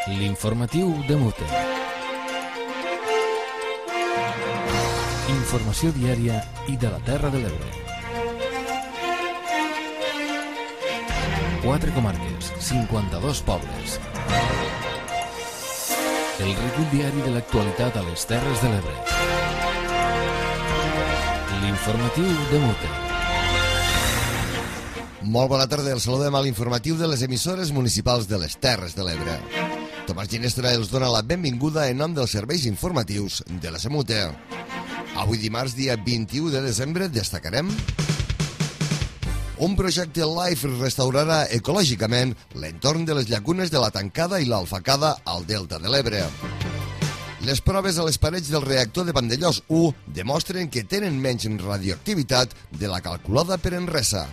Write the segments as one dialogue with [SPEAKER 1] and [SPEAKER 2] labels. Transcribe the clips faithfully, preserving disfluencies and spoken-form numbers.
[SPEAKER 1] L'informatiu de Mute. Informació diària i de la Terra de l'Ebre. Quatre comarques, cinquanta-dos pobles. El recull diari de l'actualitat a les Terres de l'Ebre. L'informatiu de Mute.
[SPEAKER 2] Molt bona tarda, el saludem a l'informatiu de les emissores municipals de les Terres de l'Ebre. Tomàs Ginestra els dona la benvinguda en nom dels serveis informatius de la Semute. Avui dimarts, dia vint-i-u de desembre, destacarem: un projecte LIFE restaurarà ecològicament l'entorn de les llacunes de la Tancada i l'Alfacada al Delta de l'Ebre. Les proves a les parets del reactor de Vandellòs u demostren que tenen menys radioactivitat de la calculada per Enresa.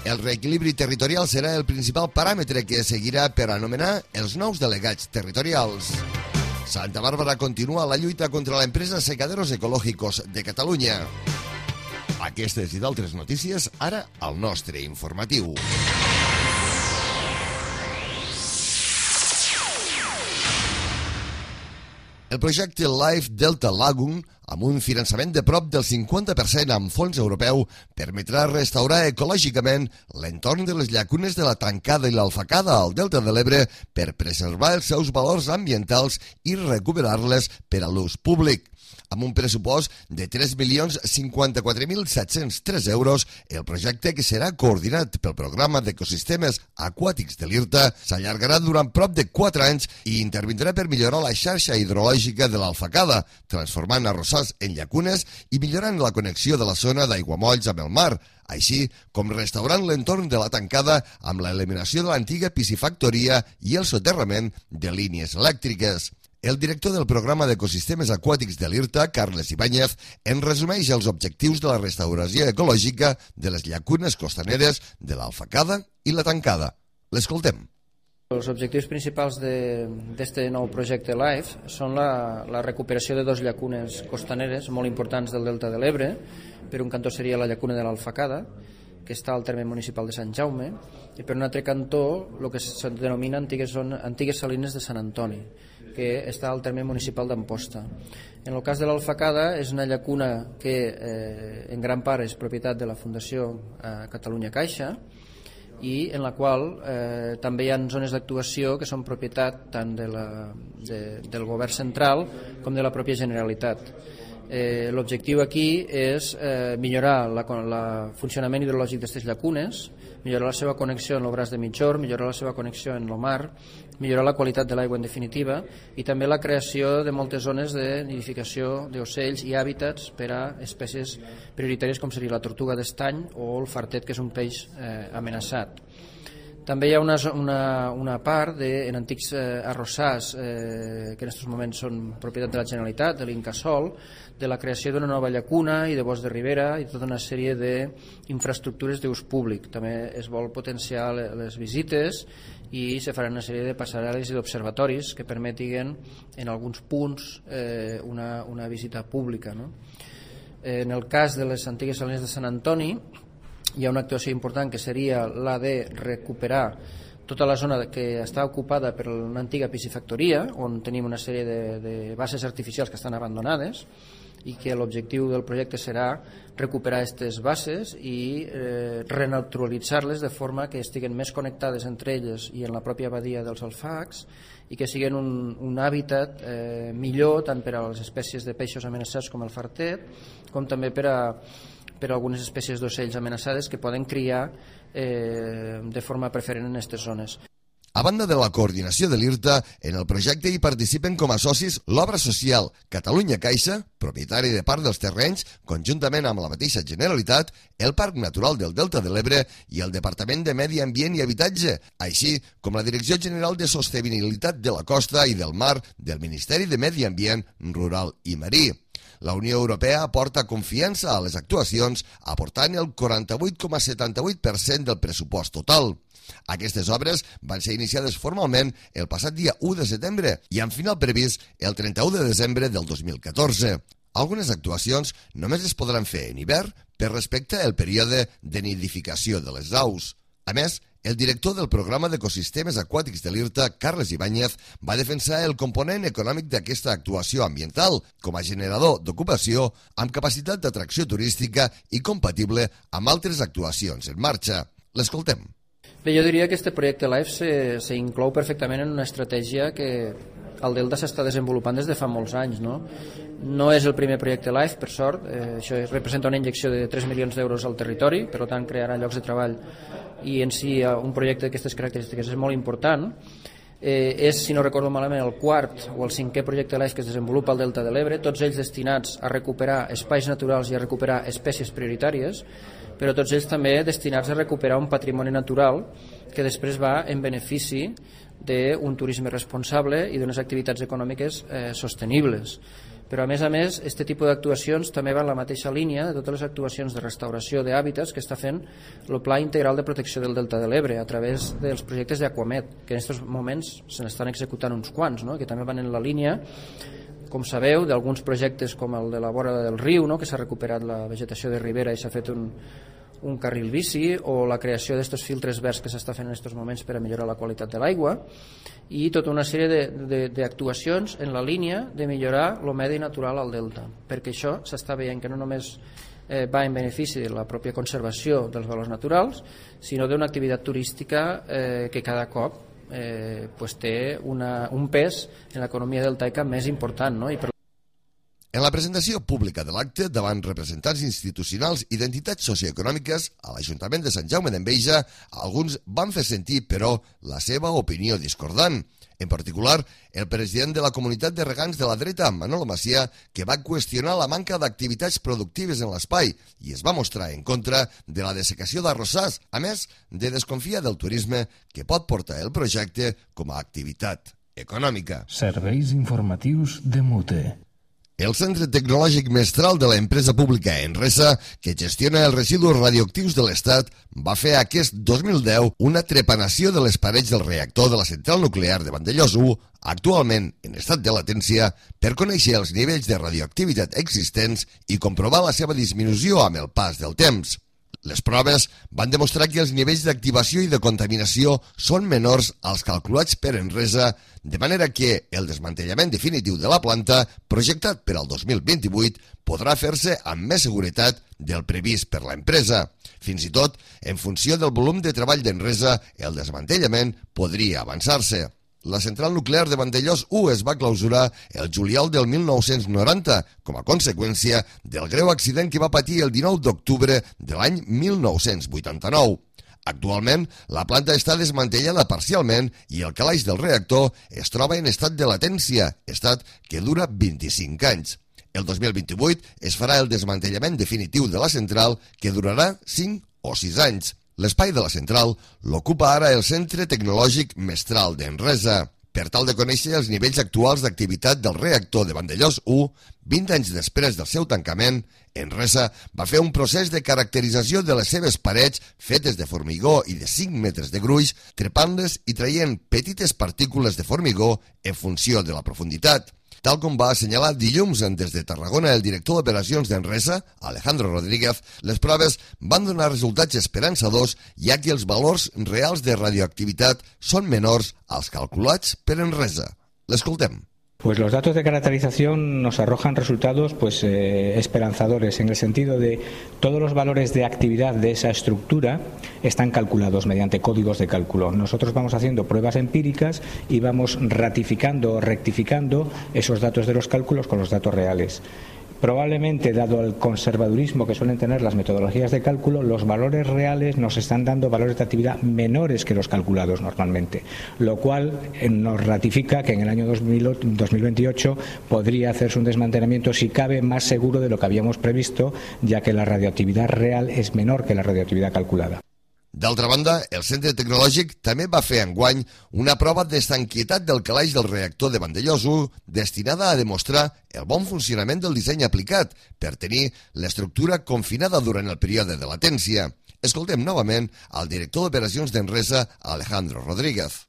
[SPEAKER 2] El reequilibri territorial serà el principal paràmetre que seguirà per anomenar els nous delegats territorials. Santa Bàrbara continua la lluita contra l'empresa Secaderos Ecológicos de Catalunya. Aquestes i d'altres notícies ara al nostre informatiu. El projecte LIFE Delta Lagoon, amb un finançament de prop del cinquanta per cent amb fons europeu, permetrà restaurar ecològicament l'entorn de les llacunes de la Tancada i l'Alfacada al Delta de l'Ebre per preservar els seus valors ambientals i recuperar-les per a l'ús públic. Amb un pressupost de tres milions cinquanta-quatre mil set-cents tres euros, el projecte, que serà coordinat pel Programa d'Ecosistemes Aquàtics de l'IRTA, s'allargarà durant prop de quatre anys i intervindrà per millorar la xarxa hidrològica de l'Alfacada, transformant arrossars en llacunes i millorant la connexió de la zona d'aiguamolls amb el mar, així com restaurant l'entorn de la Tancada amb l'eliminació de l'antiga piscifactoria i el soterrament de línies elèctriques. El director del Programa d'Ecosistemes Aquàtics de l'IRTA, Carles Ibáñez, en resumeix els objectius de la restauració ecològica de les llacunes costaneres de l'Alfacada i la Tancada. L'escoltem.
[SPEAKER 3] Els objectius principals d'aquest nou projecte LIFE són la, la recuperació de dos llacunes costaneres molt importants del Delta de l'Ebre. Per un cantó seria la llacuna de l'Alfacada, que està al terme municipal de Sant Jaume, i per un altre cantó el que se denomina antigues, antigues salines de Sant Antoni, que està al terme municipal d'Amposta. En el cas de l'Alfacada, és una llacuna que eh, en gran part és propietat de la Fundació eh, Catalunya Caixa, i en la qual eh, també hi ha zones d'actuació que són propietat tant de la, de, del govern central com de la pròpia Generalitat. Eh, L'objectiu aquí és eh, millorar el funcionament hidrològic d'aquestes llacunes, millorar la seva connexió en el braç de Mitjor, millorar la seva connexió en el mar, millorar la qualitat de l'aigua en definitiva, i també la creació de moltes zones de nidificació d'ocells i hàbitats per a espècies prioritàries com seria la tortuga d'estany o el fartet, que és un peix eh, amenaçat. També hi ha una, una, una part de, en antics eh, arrossars eh, que en aquests moments són propietat de la Generalitat, de l'Incasòl, de la creació d'una nova llacuna i de bosc de ribera i tota una sèrie d'infraestructures d'ús públic. També es vol potenciar les visites i se faran una sèrie de passarel·les i d'observatoris que permetin en alguns punts eh, una, una visita pública, no? En el cas de les antigues salines de Sant Antoni, hi ha una actuació important que seria la de recuperar tota la zona que està ocupada per una antiga piscifactoria, on tenim una sèrie de, de bases artificials que estan abandonades, i que l'objectiu del projecte serà recuperar aquestes bases i eh, renaturalitzar-les de forma que estiguen més connectades entre elles i en la pròpia badia dels alfacs, i que siguin un, un hàbitat eh, millor tant per a les espècies de peixos amenaçats com el fartet, com també per a per a algunes espècies d'ocells amenaçades que poden criar eh, de forma preferent en aquestes zones.
[SPEAKER 2] A banda de la coordinació de l'IRTA, en el projecte hi participen com a socis l'Obra Social Catalunya Caixa, propietari de part dels terrenys, conjuntament amb la mateixa Generalitat, el Parc Natural del Delta de l'Ebre i el Departament de Medi Ambient i Habitatge, així com la Direcció General de Sostenibilitat de la Costa i del Mar del Ministeri de Medi Ambient, Rural i Marí. La Unió Europea aporta confiança a les actuacions, aportant el quaranta-vuit coma setanta-vuit per cent del pressupost total. Aquestes obres van ser iniciades formalment el passat dia u de setembre i amb final previst el trenta-u de desembre del dos mil catorze. Algunes actuacions només es podran fer en hivern per respecte al període de nidificació de les aus. A més, El director del programa d'ecosistemes aquàtics de l'I R T A, Carles Ibáñez, va defensar el component econòmic d'aquesta actuació ambiental com a generador d'ocupació amb capacitat d'atracció turística i compatible amb altres actuacions en marxa. L'escoltem.
[SPEAKER 3] Bé, jo diria que este projecte LIFE s'inclou perfectament en una estratègia que el Delta s'està desenvolupant des de fa molts anys. No, no és el primer projecte LIFE, per sort. Eh, això representa una injecció de tres milions d'euros al territori, per tant crearà llocs de treball i en si un projecte d'aquestes característiques és molt important. Eh, és, si no recordo malament, el quart o el cinquè projecte LIFE que es desenvolupa al Delta de l'Ebre, tots ells destinats a recuperar espais naturals i a recuperar espècies prioritàries, però tots ells també destinats a recuperar un patrimoni natural que després va en benefici d'un turisme responsable i d'unes activitats econòmiques eh, sostenibles. Però a més a més, aquest tipus d'actuacions també va en la mateixa línia de totes les actuacions de restauració d'hàbitats que està fent el Pla Integral de Protecció del Delta de l'Ebre a través dels projectes d'Aquamed, que en aquests moments se n'estan executant uns quants, no? Que també van en la línia, com sabeu, d'alguns projectes com el de la vora del riu, no? Que s'ha recuperat la vegetació de ribera i s'ha fet un, un carril bici, o la creació d'estos filtres verds que s'està fent en aquests moments per a millorar la qualitat de l'aigua, i tota una sèrie d'actuacions en la línia de millorar el medi natural al delta, perquè això s'està veient que no només eh, va en benefici de la pròpia conservació dels valors naturals, sinó d'una activitat turística eh, que cada cop eh, pues té una, un pes en l'economia deltaica més important, no? I per
[SPEAKER 2] En la presentació pública de l'acte davant representants institucionals i d'entitats socioeconòmiques a l'Ajuntament de Sant Jaume d'Enveja, alguns van fer sentir, però, la seva opinió discordant. En particular, el president de la comunitat de regants de la dreta, Manolo Macià, que va qüestionar la manca d'activitats productives en l'espai i es va mostrar en contra de la dessecació d'arrossars, a més de desconfiar del turisme que pot portar el projecte com a activitat econòmica.
[SPEAKER 1] Serveis informatius de Mute.
[SPEAKER 2] El Centre Tecnològic Mestral de l'empresa pública Enresa, que gestiona els residus radioactius de l'Estat, va fer aquest dos mil deu una trepanació de les parets del reactor de la central nuclear de Vandellòs u, actualment en estat de latència, per conèixer els nivells de radioactivitat existents i comprovar la seva disminució amb el pas del temps. Les proves van demostrar que els nivells d'activació i de contaminació són menors als calculats per Enresa, de manera que el desmantellament definitiu de la planta, projectat per al dos mil vint-i-vuit, podrà fer-se amb més seguretat del previst per l'empresa. Fins i tot, en funció del volum de treball d'Enresa, el desmantellament podria avançar-se. La central nuclear de Vandellòs u es va clausurar el juliol del mil nou-cents noranta com a conseqüència del greu accident que va patir el dinou d'octubre de l'any mil nou-cents vuitanta-nou. Actualment, la planta està desmantellada parcialment i el calaix del reactor es troba en estat de latència, estat que dura vint-i-cinc anys. El dos mil vint-i-vuit es farà el desmantellament definitiu de la central, que durarà cinc o sis anys. L'espai de la central l'ocupa ara el Centre Tecnològic Mestral d'Enresa. Per tal de conèixer els nivells actuals d'activitat del reactor de Vandellòs u, vint anys després del seu tancament, Enresa va fer un procés de caracterització de les seves parets fetes de formigó i de cinc metres de gruix, trepant-les i traient petites partícules de formigó en funció de la profunditat. Tal com va assenyalar dilluns des de Tarragona el director d'operacions d'Enresa, Alejandro Rodríguez, les proves van donar resultats esperançadors, ja que els valors reals de radioactivitat són menors als calculats per Enresa. L'escoltem.
[SPEAKER 4] Pues los datos de caracterización nos arrojan resultados pues eh, esperanzadores, en el sentido de todos los valores de actividad de esa estructura están calculados mediante códigos de cálculo. Nosotros vamos haciendo pruebas empíricas y vamos ratificando o rectificando esos datos de los cálculos con los datos reales. Probablemente, dado el conservadurismo que suelen tener las metodologías de cálculo, los valores reales nos están dando valores de actividad menores que los calculados normalmente, lo cual nos ratifica que en el año dos mil veintiocho podría hacerse un desmantelamiento, si cabe, más seguro de lo que habíamos previsto, ya que la radioactividad real es menor que la radioactividad calculada.
[SPEAKER 2] D'altra banda, el Centre Tecnològic també va fer enguany una prova d'estanquietat del calaix del reactor de Vandellòs u destinada a demostrar el bon funcionament del disseny aplicat per tenir l'estructura confinada durant el període de latència. Escoltem novament al director d'operacions d'Enresa, Alejandro Rodríguez.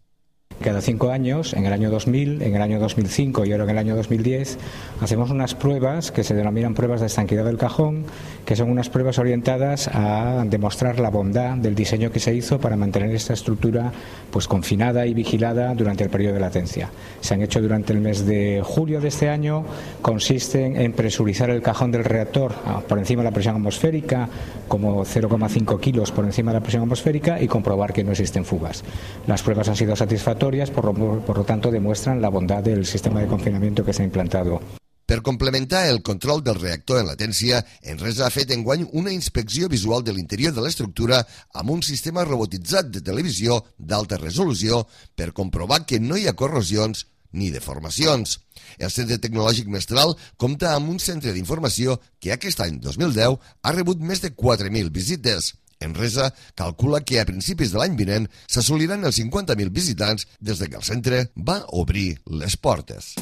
[SPEAKER 4] Cada cinco años, en el año dos mil, en el año dos mil cinco y ahora en el año dos mil diez, hacemos unas pruebas que se denominan pruebas de estanquidad del cajón, que son unas pruebas orientadas a demostrar la bondad del diseño que se hizo para mantener esta estructura pues confinada y vigilada durante el periodo de latencia. Se han hecho durante el mes de julio de este año, consisten en presurizar el cajón del reactor por encima de la presión atmosférica, como cero coma cinco kilos por encima de la presión atmosférica, y comprobar que no existen fugas. Las pruebas han sido satisfactorias. Por lo, por lo tanto, demuestran la bondad del sistema de confinamiento que s'ha implantado.
[SPEAKER 2] Per complementar el control del reactor en latència, Enresa ha fet enguany una inspecció visual de l'interior de l'estructura amb un sistema robotitzat de televisió d'alta resolució per comprovar que no hi ha corrosions ni deformacions. El Centre Tecnològic Mestral compta amb un centre d'informació que aquest any dos mil deu ha rebut més de quatre mil visites. Enresa calcula que a principis de l'any vinent s'assoliran els cinquanta mil visitants des que el centre va obrir les portes.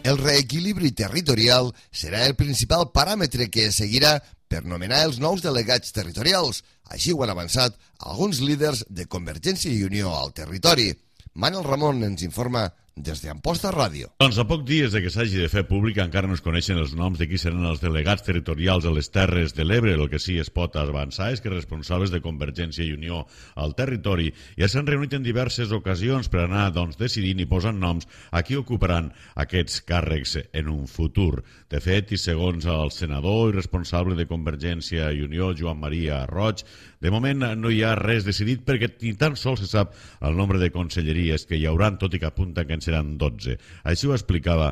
[SPEAKER 2] El reequilibri territorial serà el principal paràmetre que es seguirà per nomenar els nous delegats territorials. Així ho han avançat alguns líders de Convergència i Unió al territori. Manel Ramon ens informa des d'Amposta Ràdio.
[SPEAKER 5] Doncs a poc dies de que s'hagi de fer pública encara no es coneixen els noms de qui seran els delegats territorials a les Terres de l'Ebre. El que sí es pot avançar és que responsables de Convergència i Unió al territori ja s'han reunit en diverses ocasions per anar doncs, decidint i posant noms a qui ocuparan aquests càrrecs en un futur. De fet, i segons el senador i responsable de Convergència i Unió, Joan Maria Roig, de moment no hi ha res decidit perquè ni tan sols se sap el nombre de conselleries que hi hauran, tot i que apunta que en seran dotze. Així ho explicava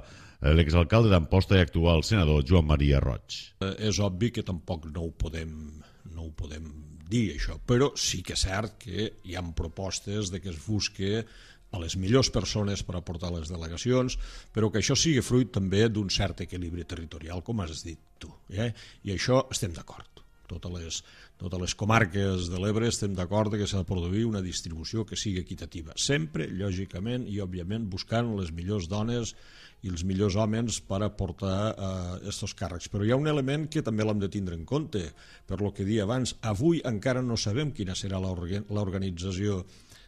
[SPEAKER 5] l'exalcalde d'Amposta i actual senador Joan Maria Roig.
[SPEAKER 6] És obvi que tampoc no ho podem, no ho podem dir, això, però sí que és cert que hi ha propostes de que es busque a les millors persones per aportar les delegacions, però que això sigui fruit també d'un cert equilibri territorial, com has dit tu. Eh? I això estem d'acord. Totes les, totes les comarques de l'Ebre estem d'acord que s'ha de produir una distribució que sigui equitativa. Sempre, lògicament i òbviament, buscant les millors dones i els millors homes per aportar aquests eh, càrrecs. Però hi ha un element que també l'hem de tindre en compte. Per lo que dia abans, avui encara no sabem quina serà l'organització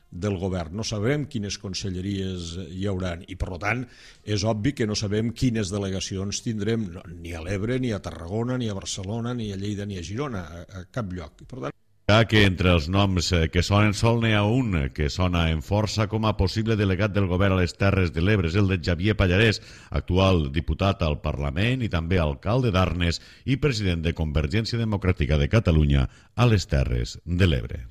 [SPEAKER 6] del govern, no sabem quines conselleries hi hauran i per tant és obvi que no sabem quines delegacions tindrem ni a l'Ebre, ni a Tarragona, ni a Barcelona, ni a Lleida, ni a Girona, a, a cap lloc. I per tant
[SPEAKER 5] que entre els noms que sonen sol n'hi ha un que sona en força com a possible delegat del govern a les Terres de l'Ebre, és el de Xavier Pallarès, actual diputat al Parlament i també alcalde d'Arnes i president de Convergència Democràtica de Catalunya a les Terres de l'Ebre.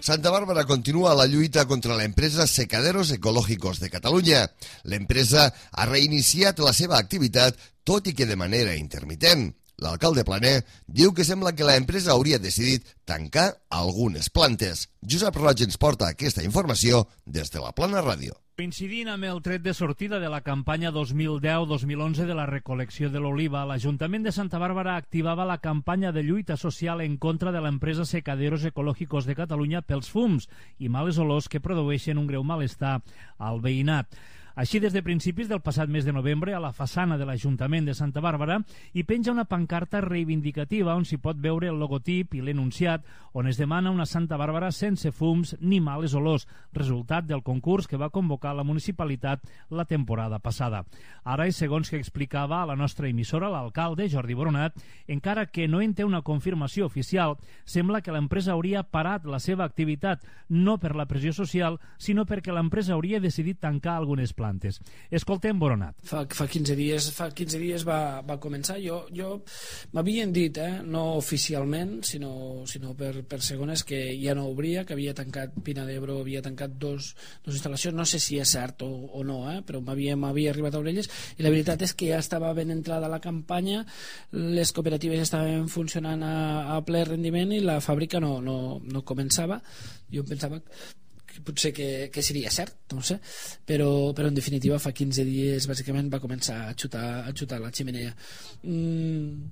[SPEAKER 2] Santa Bàrbara continua la lluita contra l'empresa Secaderos Ecológicos de Catalunya. L'empresa ha reiniciat la seva activitat, tot i que de manera intermitent. L'alcalde Planer diu que sembla que l'empresa hauria decidit tancar algunes plantes. Josep Roig ens porta aquesta informació des de la Plana Ràdio.
[SPEAKER 7] Coincidint amb el tret de sortida de la campanya dos mil deu dos mil onze de la recol·lecció de l'oliva, l'Ajuntament de Santa Bàrbara activava la campanya de lluita social en contra de l'empresa Secaderos Ecológicos de Catalunya pels fums i males olors que produeixen un greu malestar al veïnat. Així, des de principis del passat mes de novembre, a la façana de l'Ajuntament de Santa Bàrbara hi penja una pancarta reivindicativa on s'hi pot veure el logotip i l'enunciat on es demana una Santa Bàrbara sense fums ni males olors, resultat del concurs que va convocar la municipalitat la temporada passada. Ara, i segons que explicava a la nostra emissora l'alcalde, Jordi Boronat, encara que no en té una confirmació oficial, sembla que l'empresa hauria parat la seva activitat no per la pressió social, sinó perquè l'empresa hauria decidit tancar algunes plantes. Escoltem Boronat.
[SPEAKER 8] Fa, fa quinze dies, fa quinze dies va, va començar. Jo, jo m'havien dit, eh, no oficialment, sinó, sinó per, per segones, que ja no obria, que havia tancat Pina d'Ebro, havia tancat dos, dos instal·lacions. No sé si és cert o, o no, eh, però m'havia arribat a orelles. I la veritat és que ja estava ben entrada la campanya, les cooperatives estaven funcionant a, a ple rendiment i la fàbrica no, no, no començava. Jo pensava potser que, que seria cert, no sé, però, però en definitiva fa quinze dies bàsicament va començar a xutar, a xutar la ximenea. Mm,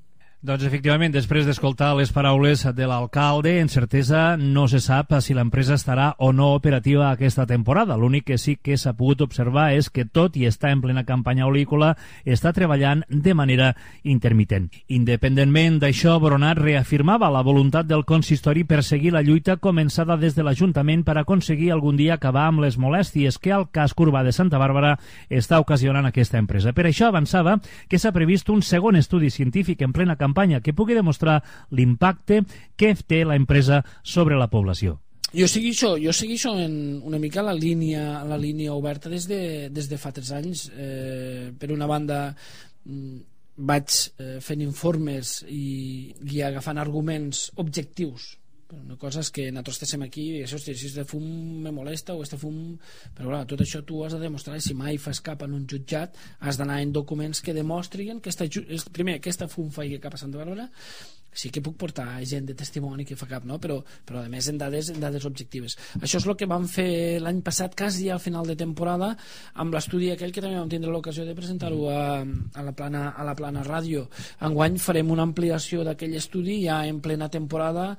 [SPEAKER 7] Doncs efectivament, després d'escoltar les paraules de l'alcalde, en certesa no se sap si l'empresa estarà o no operativa aquesta temporada. L'únic que sí que s'ha pogut observar és que, tot i estar en plena campanya olícola, està treballant de manera intermitent. Independentment d'això, Boronat reafirmava la voluntat del consistori per seguir la lluita començada des de l'Ajuntament per aconseguir algun dia acabar amb les molèsties que el casc urbà de Santa Bàrbara està ocasionant aquesta empresa. Per això avançava que s'ha previst un segon estudi científic en plena campanya que pugui demostrar l'impacte que té la empresa sobre la població.
[SPEAKER 8] Jo segueixo, jo segueixo en una mica la línia, la línia oberta des de, des de fa tres anys. Eh, per una banda, vaig eh, fent informes i, i agafant arguments objectius. Una cosa és que nosaltres estem aquí i això, si este fum me molesta o este fum... Però clar, tot això tu has de demostrar, si mai fas cap en un jutjat has d'anar en documents que demostrin que esta, primer, que aquesta fum faci cap a Santa Bàrbara. Sí que puc portar gent de testimoni que fa cap, no? però, però a més en dades, en dades objectives. Això és el que vam fer l'any passat, quasi al final de temporada, amb l'estudi aquell que també vam tindre l'ocasió de presentar-ho a, a, la plana, a la plana ràdio. Enguany farem una ampliació d'aquell estudi ja en plena temporada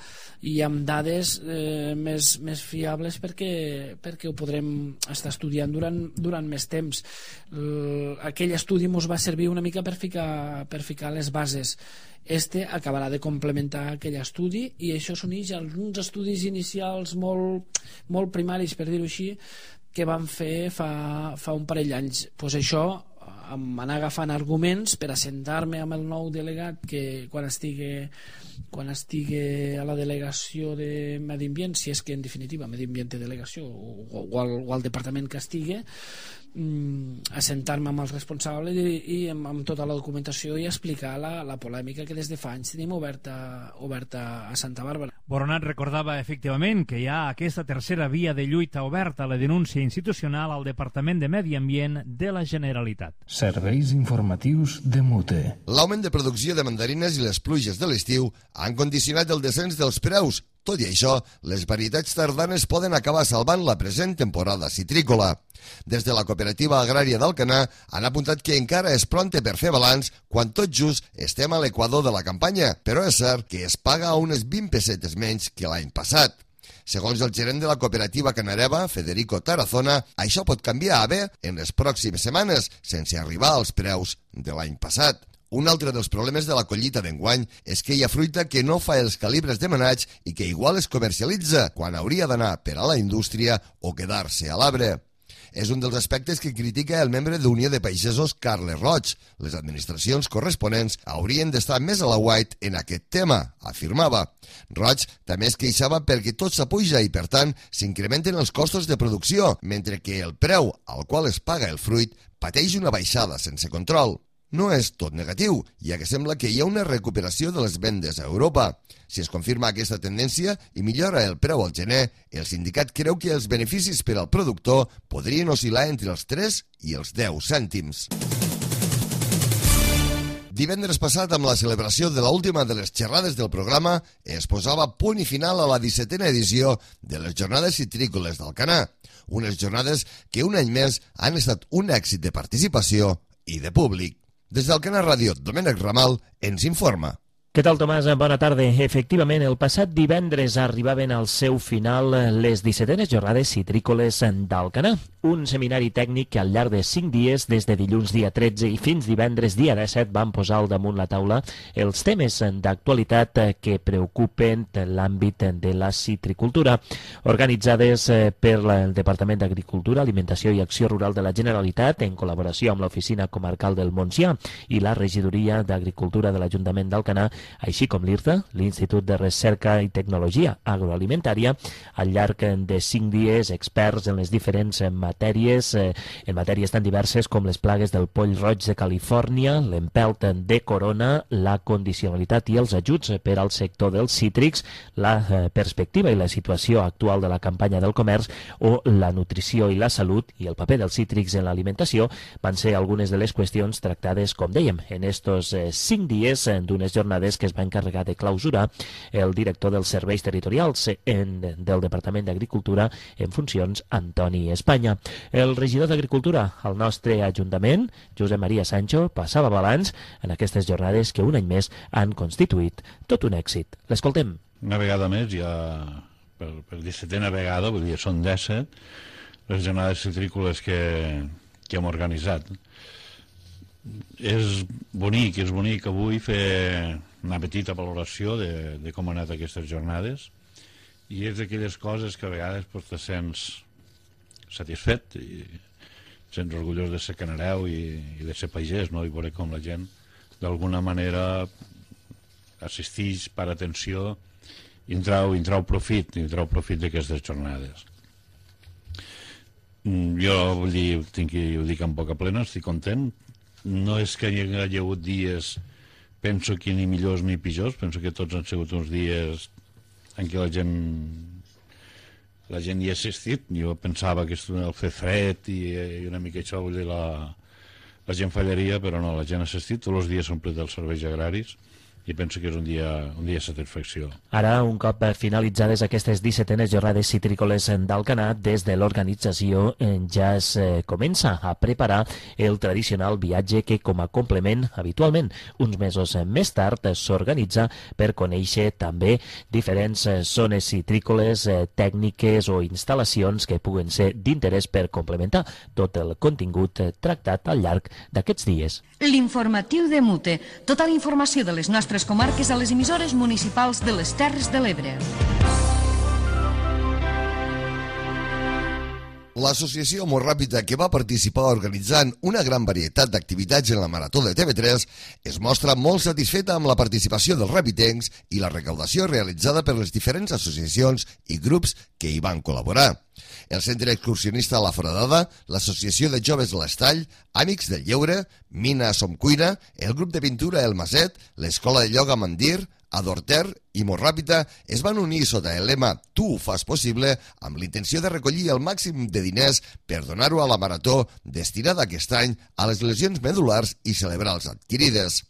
[SPEAKER 8] i amb dades eh, més, més fiables perquè, perquè ho podrem estar estudiant durant, durant més temps. L, aquell estudi ens va servir una mica per ficar, per ficar les bases. Este acabarà de complementar aquell estudi i això s'uneix a alguns estudis inicials molt, molt primaris, per dir-ho així, que vam fer fa, fa un parell d'anys. Pues això, anar agafant arguments per assentar-me amb el nou delegat que quan estigui, quan estigui a la delegació de Medi Ambient, si és que en definitiva Medi Ambient té delegació, o, o, al, o al departament que estigui, assentar-me amb els responsables i, i amb, amb tota la documentació i explicar la, la polèmica que des de fa anys tenim oberta, oberta a Santa Bàrbara.
[SPEAKER 7] Boronat recordava efectivament que hi ha aquesta tercera via de lluita oberta a la denúncia institucional al Departament de Medi Ambient de la Generalitat.
[SPEAKER 1] Serveis informatius de Mute.
[SPEAKER 2] L'augment de producció de mandarines i les pluges de l'estiu han condicionat el descens dels preus. Tot i això, les varietats tardanes poden acabar salvant la present temporada citrícola. Des de la cooperativa agrària d'Alcanar han apuntat que encara és pronte per fer balanç quan tot just estem a l'equador de la campanya, però és cert que es paga unes vint pessetes menys que l'any passat. Segons el gerent de la cooperativa canareva, Federico Tarazona, això pot canviar a bé en les pròximes setmanes, sense arribar als preus de l'any passat. Un altre dels problemes de la collita d'enguany és que hi ha fruita que no fa els calibres demanats i que igual es comercialitza quan hauria d'anar per a la indústria o quedar-se a l'arbre. És un dels aspectes que critica el membre d'Unió de Pagesos Carles Roig. Les administracions corresponents haurien d'estar més a la white en aquest tema, afirmava. Roig també es queixava perquè tot s'apuja i, per tant, s'incrementen els costos de producció, mentre que el preu al qual es paga el fruit pateix una baixada sense control. No és tot negatiu, ja que sembla que hi ha una recuperació de les vendes a Europa. Si es confirma aquesta tendència i millora el preu al gener, el sindicat creu que els beneficis per al productor podrien oscil·lar entre els tres i els deu cèntims. Divendres passat, amb la celebració de l'última de les xerrades del programa, es posava punt i final a la dissetena edició de les Jornades Citrícoles d'Alcanar. Unes jornades que un any més han estat un èxit de participació i de públic. Des d'Alcanar Ràdio, Domènec Ramal ens informa.
[SPEAKER 9] Què tal, Tomàs? Bona tarda. Efectivament, el passat divendres arribaven al seu final les dissetenes jornades citrícoles d'Alcanar, un seminari tècnic que al llarg de cinc dies, des de dilluns dia tretze i fins divendres dia disset, van posar al damunt la taula els temes d'actualitat que preocupen l'àmbit de la citricultura. Organitzades per el Departament d'Agricultura, Alimentació i Acció Rural de la Generalitat, en col·laboració amb l'Oficina Comarcal del Montsià i la Regidoria d'Agricultura de l'Ajuntament d'Alcanar, així com l'I R T A, l'Institut de Recerca i Tecnologia Agroalimentària. Al llarg de cinc dies, experts en les diferents matèries, en matèries tan diverses com les plagues del poll roig de Califòrnia, l'empelt de corona, la condicionalitat i els ajuts per al sector dels cítrics, la perspectiva i la situació actual de la campanya del comerç o la nutrició i la salut i el paper dels cítrics en l'alimentació van ser algunes de les qüestions tractades, com dèiem, en estos cinc dies d'unes jornades jornades que es va encarregar de clausurar el director dels serveis territorials en, del Departament d'Agricultura en funcions, Antoni Espanya. El regidor d'Agricultura al nostre Ajuntament, Josep Maria Sancho, passava balanç en aquestes jornades que un any més han constituït tot un èxit. L'escoltem.
[SPEAKER 10] Una vegada més, ja per, per dissetena vegada, vull dir, són disset, les jornades citrícoles que, que hem organitzat. És bonic, és bonic avui fer una petita valoració de, de com han anat aquestes jornades, i és d'aquelles coses que a vegades pues, te sents satisfet i sents orgullós de ser canareu i, i de ser pagès, no? I veure com la gent d'alguna manera assistix per atenció i en trau, i en trau profit, i en trau profit d'aquestes jornades. Jo vull dir, tinc que ho dic amb boca plena, estic content. No és que hi hagi hagut dies, penso que ni millors ni pitjors, penso que tots han sigut uns dies en què la gent la gent hi ha assistit. Jo pensava que el fer fred i, i una mica això, vull dir, la, la gent fallaria, però no, la gent ha assistit, tots els dies s'han omplert els serveis agraris i penso que és un dia, un dia de satisfacció.
[SPEAKER 9] Ara, un cop finalitzades aquestes dissetenes jornades citrícoles d'Alcanar, des de l'organització ja es comença a preparar el tradicional viatge que, com a complement, habitualment, uns mesos més tard, s'organitza per conèixer també diferents zones citrícoles, tècniques o instal·lacions que puguen ser d'interès per complementar tot el contingut tractat al llarg d'aquests dies.
[SPEAKER 11] L'informatiu de Mute. Tota la informació de les nostres comarques a les emissores municipals de les Terres de l'Ebre.
[SPEAKER 2] L'associació Molt Ràpida, que va participar organitzant una gran varietat d'activitats en la Marató de T V tres, es mostra molt satisfeta amb la participació dels rapitencs i la recaudació realitzada per les diferents associacions i grups que hi van col·laborar. El Centre Excursionista La Foradada, l'Associació de Joves L'Estall, Amics del Lleure, Mina Som Cuina, el grup de pintura El Maset, l'Escola de Ioga Mandir, Adorter i Molt Ràpida es van unir sota el lema Tu ho fas possible amb l'intenció de recollir el màxim de diners per donar-ho a la Marató destinada aquest any a les lesions medulars i cerebrals adquirides.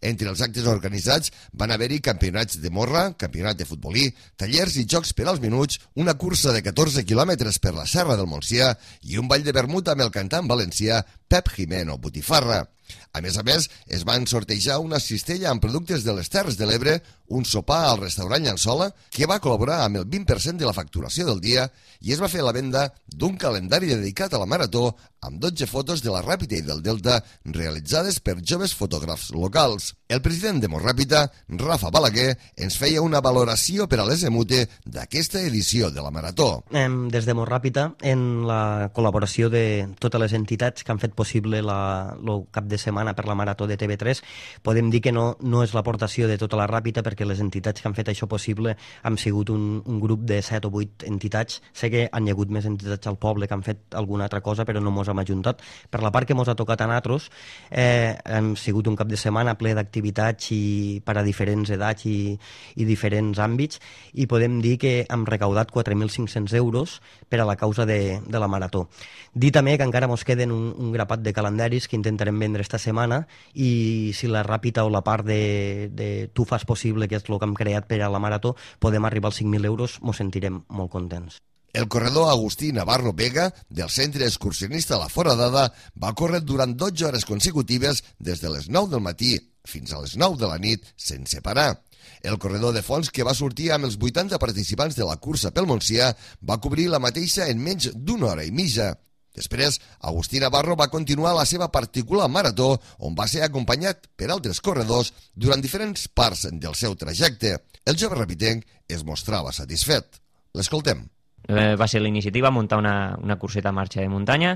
[SPEAKER 2] Entre els actes organitzats van haver-hi campionats de morra, campionat de futbolí, tallers i jocs per als minuts, una cursa de catorze quilòmetres per la Serra del Montsià i un ball de vermut amb el cantant valencià Pep Jimeno Botifarra. A més a més, es van sortejar una cistella amb productes de les Terres de l'Ebre, un sopar al restaurant Llançola, que va col·laborar amb el vint per cent de la facturació del dia, i es va fer la venda d'un calendari dedicat a la Marató amb dotze fotos de la Ràpita i del Delta realitzades per joves fotògrafs locals. El president de Molt Ràpida, Rafa Balaguer, ens feia una valoració per a l'S M U T E d'aquesta edició de la Marató.
[SPEAKER 12] Des de Molt Ràpida, en la col·laboració de totes les entitats que han fet possible la, el cap de setmana per la Marató de T V tres, podem dir que no, no és l'aportació de tota la Ràpita, perquè les entitats que han fet això possible han sigut un, un grup de set o vuit entitats. Sé que han hi hagut més entitats al poble que han fet alguna altra cosa, però no mos hem ajuntat. Per la part que mos ha tocat a nosaltres, eh, hem sigut un cap de setmana ple d'activitats i per a diferents edats i, i diferents àmbits, i podem dir que hem recaudat quatre mil cinc-cents euros per a la causa de, de la Marató. Dir també que encara mos queden un, un grapat de calendaris que intentarem vendre esta setmana, i si la Ràpita o la part de, de Tu fas possible, que és el que hem creat per a la Marató, podem arribar als cinc mil euros, mos sentirem molt contents.
[SPEAKER 2] El corredor Agustí Navarro Vega, del Centre Excursionista La Foradada, va córrer durant dotze hores consecutives des de les nou del matí fins a les nou de la nit, sense parar. El corredor de fons, que va sortir amb els vuitanta participants de la cursa pel Montsià, va cobrir la mateixa en menys d'una hora i mitja. Després, Agustí Navarro va continuar la seva particular marató, on va ser acompanyat per altres corredors durant diferents parts del seu trajecte. El jove rapitenc es mostrava satisfet. L'escoltem.
[SPEAKER 13] Eh, va ser la iniciativa muntar una, una curseta a marxa de muntanya,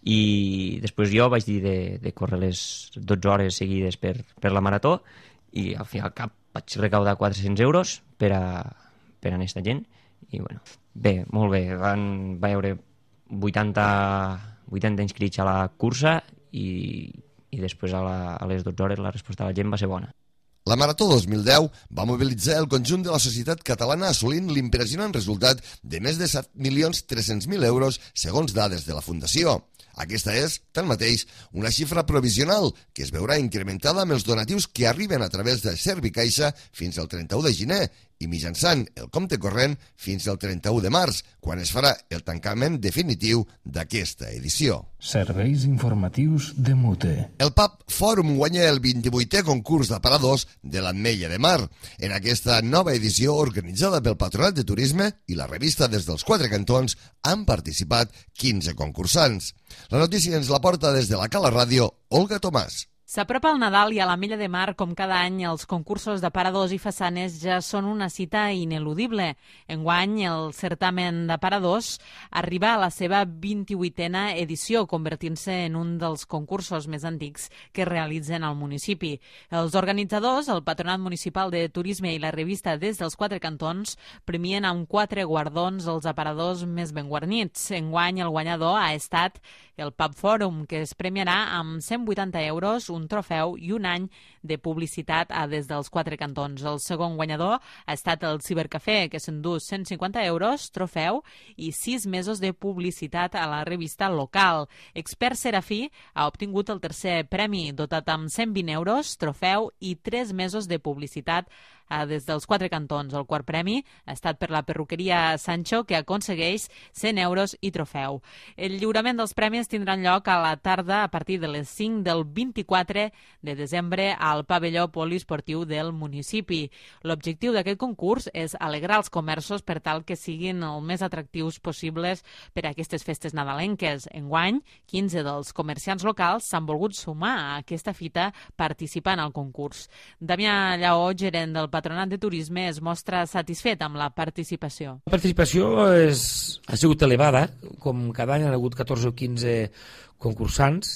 [SPEAKER 13] i després jo vaig dir de, de córrer les dotze hores seguides per, per la marató, i al final cap vaig recaudar quatre-cents euros per a, per a aquesta gent, i bueno, bé, molt bé, van, va haver vuitanta, vuitanta inscrits a la cursa, i, i després a, la, a les dotze hores la resposta de la gent va ser bona.
[SPEAKER 2] La Marató dos mil deu va mobilitzar el conjunt de la societat catalana, assolint l'impressionant resultat de més de set milions tres-cents mil euros segons dades de la Fundació. Aquesta és, tanmateix, una xifra provisional que es veurà incrementada amb els donatius que arriben a través de Servicaixa fins al trenta-u de gener i mitjançant el compte corrent fins al trenta-u de març, quan es farà el tancament definitiu d'aquesta edició.
[SPEAKER 1] Serveis informatius de Mute.
[SPEAKER 2] El Pub Fòrum guanya el vint-i-vuitè concurs d'aparadors de l'Ametlla de Mar. En aquesta nova edició, organitzada pel Patronat de Turisme i la revista Des dels Quatre Cantons, han participat quinze concursants. La notícia ens la porta des de la Cala Ràdio, Olga Tomàs.
[SPEAKER 14] S'apropa el Nadal i a l'Ametlla de Mar, com cada any, els concursos d'aparadors i façanes ja són una cita ineludible. Enguany, el certamen d'aparadors arriba a la seva vint-i-vuitena edició, convertint-se en un dels concursos més antics que es realitzen al municipi. Els organitzadors, el Patronat Municipal de Turisme i la revista Des dels Quatre Cantons, premien amb quatre guardons els aparadors més ben guarnits. Enguany, el guanyador ha estat el Pub Fòrum, que es premiarà amb cent vuitanta euros, un trofeu i un any de publicitat a Des dels Quatre Cantons. El segon guanyador ha estat el Cibercafè, que s'endú cent cinquanta euros, trofeu i sis mesos de publicitat a la revista local. Expert Serafí ha obtingut el tercer premi, dotat amb cent vint euros, trofeu i tres mesos de publicitat a Des dels Quatre Cantons. El quart premi ha estat per la perruqueria Sancho, que aconsegueix cent euros i trofeu. El lliurament dels premis tindran lloc a la tarda a partir de les cinc del vint-i-quatre de desembre al pavelló poliesportiu del municipi. L'objectiu d'aquest concurs és alegrar els comerços per tal que siguin el més atractius possibles per a aquestes festes nadalenques. Enguany, quinze dels comerciants locals s'han volgut sumar a aquesta fita participant al concurs. Damià Lleó, gerent del Patronat de Turisme, es mostra satisfet amb la participació.
[SPEAKER 15] La participació és, ha sigut elevada, com cada any han hagut catorze o quinze concursants,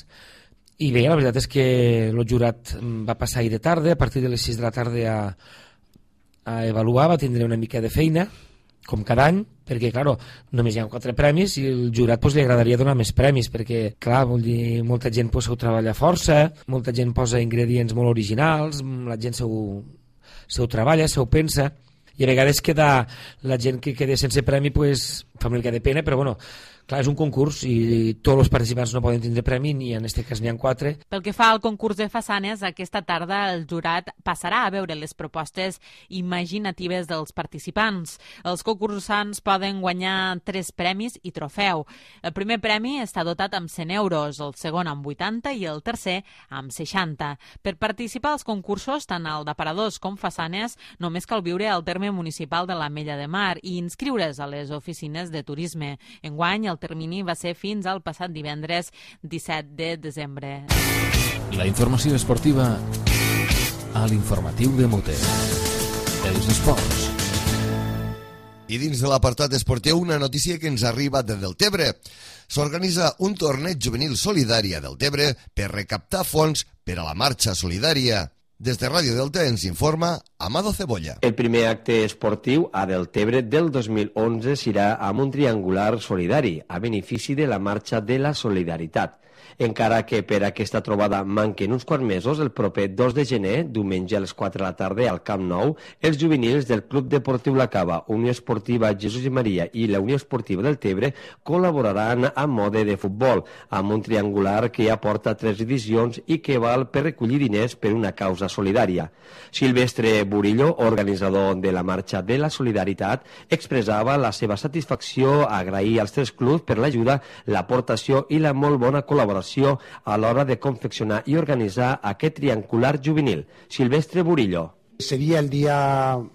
[SPEAKER 15] i bé, la veritat és que el jurat va passar ahir de tarda, a partir de les sis de la tarda a, a avaluar, va tindre una mica de feina, com cada any, perquè, clar, només hi ha quatre premis i el jurat pues, li agradaria donar més premis, perquè, clar, vol dir, molta gent pues, ho treballa força, molta gent posa ingredients molt originals, la gent s'ho s'ho treballa, s'ho pensa, i a vegades queda la gent que queda sense premi, pues, fa una mica de pena, però bueno, clar, és un concurs i tots els participants no poden tindre premi, ni en aquest cas n'hi ha quatre.
[SPEAKER 14] Pel que fa al concurs de façanes, aquesta tarda el jurat passarà a veure les propostes imaginatives dels participants. Els concursants poden guanyar tres premis i trofeu. El primer premi està dotat amb cent euros, el segon amb vuitanta i el tercer amb seixanta. Per participar als concursos, tant el d'aparadors com façanes, només cal viure al terme municipal de l'Ametlla de Mar i inscriure's a les oficines de turisme. Enguany, el termini va ser fins al passat divendres disset de desembre.
[SPEAKER 1] La informació esportiva a l'informatiu de Mute. Els esports.
[SPEAKER 2] I dins de l'apartat esportiu, una notícia que ens arriba de Deltebre. S'organitza un torneig juvenil solidari a Deltebre per recaptar fons per a la marxa solidària. Des de Ràdio Delta ens informa Amado Cebolla.
[SPEAKER 16] El primer acte esportiu a Deltebre del dos mil onze serà amb un triangular solidari a benefici de la Marxa de la Solidaritat. Encara que per aquesta trobada manquen uns quants mesos, el proper dos de gener, diumenge a les quatre de la tarda al Camp Nou, els juvenils del Club Deportiu La Cava, Unió Esportiva Jesús i Maria i la Unió Esportiva del Tebre col·laboraran a mode de futbol, amb un triangular que ja porta tres edicions i que val per recollir diners per una causa solidària. Silvestre Burillo, organitzador de la Marxa de la Solidaritat, expressava la seva satisfacció a agrair als tres clubs per l'ajuda, l'aportació i la molt bona col·laboració a l'hora de confeccionar i organitzar aquest triangular juvenil. Silvestre Burillo.
[SPEAKER 17] Seria el dia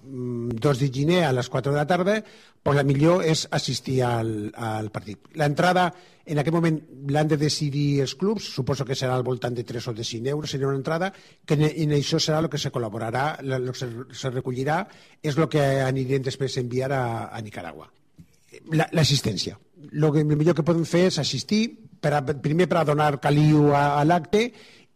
[SPEAKER 17] dos de gener a les quatre de la tarda, pues la millor és assistir al, al partit. L'entrada, en aquest moment, l'han de decidir els clubs, suposo que serà al voltant de tres o de cinc euros, seria una entrada, que en això serà el que se col·laborarà, el que se, se recollirà, és el que anirem després a enviar a, a Nicaragua. L'assistència. El millor que podem fer és assistir, per a, primer per a donar caliu a, a l'acte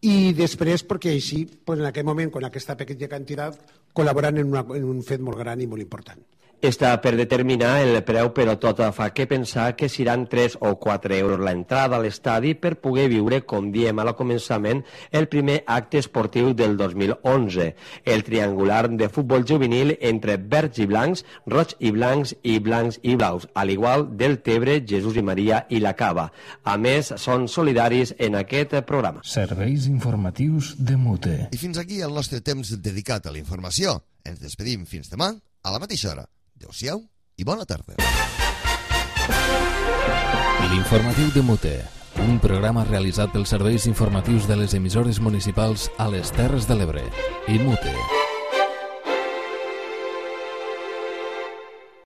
[SPEAKER 17] i després perquè així, pues en aquest moment, amb aquesta petita quantitat, col·laboran en, una, en un fet molt gran i molt important.
[SPEAKER 16] Està per determinar el preu, però tot fa que pensar que seran tres o quatre euros l'entrada a l'estadi per poder viure, com diem al començament, el primer acte esportiu del dos mil onze. El triangular de futbol juvenil entre verds i blancs, roig i blancs i blancs i blaus, al igual del Tebre, Jesús i Maria i la Cava. A més, són solidaris en aquest programa.
[SPEAKER 1] Serveis informatius de Mute.
[SPEAKER 2] I fins aquí el nostre temps dedicat a la informació. Ens despedim fins demà a la mateixa hora. Adéu-siau i bona tarda.
[SPEAKER 1] L'informatiu de Mute, un programa realitzat pels serveis informatius de les emissores municipals a les Terres de l'Ebre i Mute.